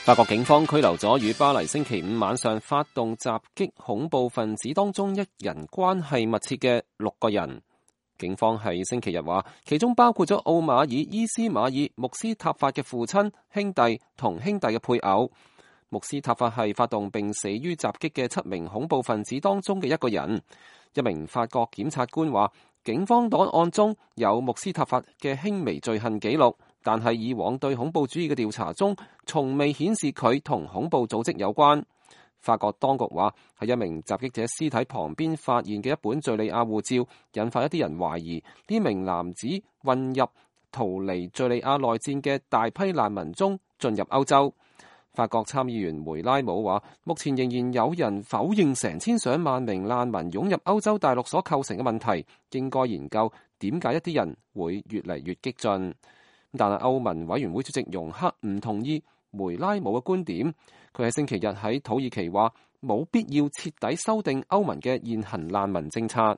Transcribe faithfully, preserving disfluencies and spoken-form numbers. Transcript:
法國警方拘留咗與巴黎星期五晚上發動襲擊恐怖分子當中一人關係密切嘅六個人。警方喺星期日話，其中包括咗奧馬爾伊斯馬爾穆斯塔法嘅父親、兄弟同兄弟嘅配偶。穆斯塔法係發動並死於襲擊嘅七名恐怖分子當中嘅一個人。一名法國檢察官話，警方檔案中有穆斯塔法嘅輕微罪行記錄，但係以往對恐怖主義嘅調查中，從未顯示佢同恐怖組織有關。法國當局話，喺一名襲擊者屍體旁邊發現嘅一本敘利亞護照，引發一啲人懷疑呢名男子混入逃離敘利亞內戰嘅大批難民中進入歐洲。法國參議員梅拉姆話，目前仍然有人否認成千上萬名難民湧入歐洲大陸所構成嘅問題，應該研究點解一啲人會越嚟越激進。但係歐盟委員會主席容克唔同意梅拉姆嘅觀點，佢喺星期日喺土耳其話冇必要徹底修訂歐盟嘅現行難民政策。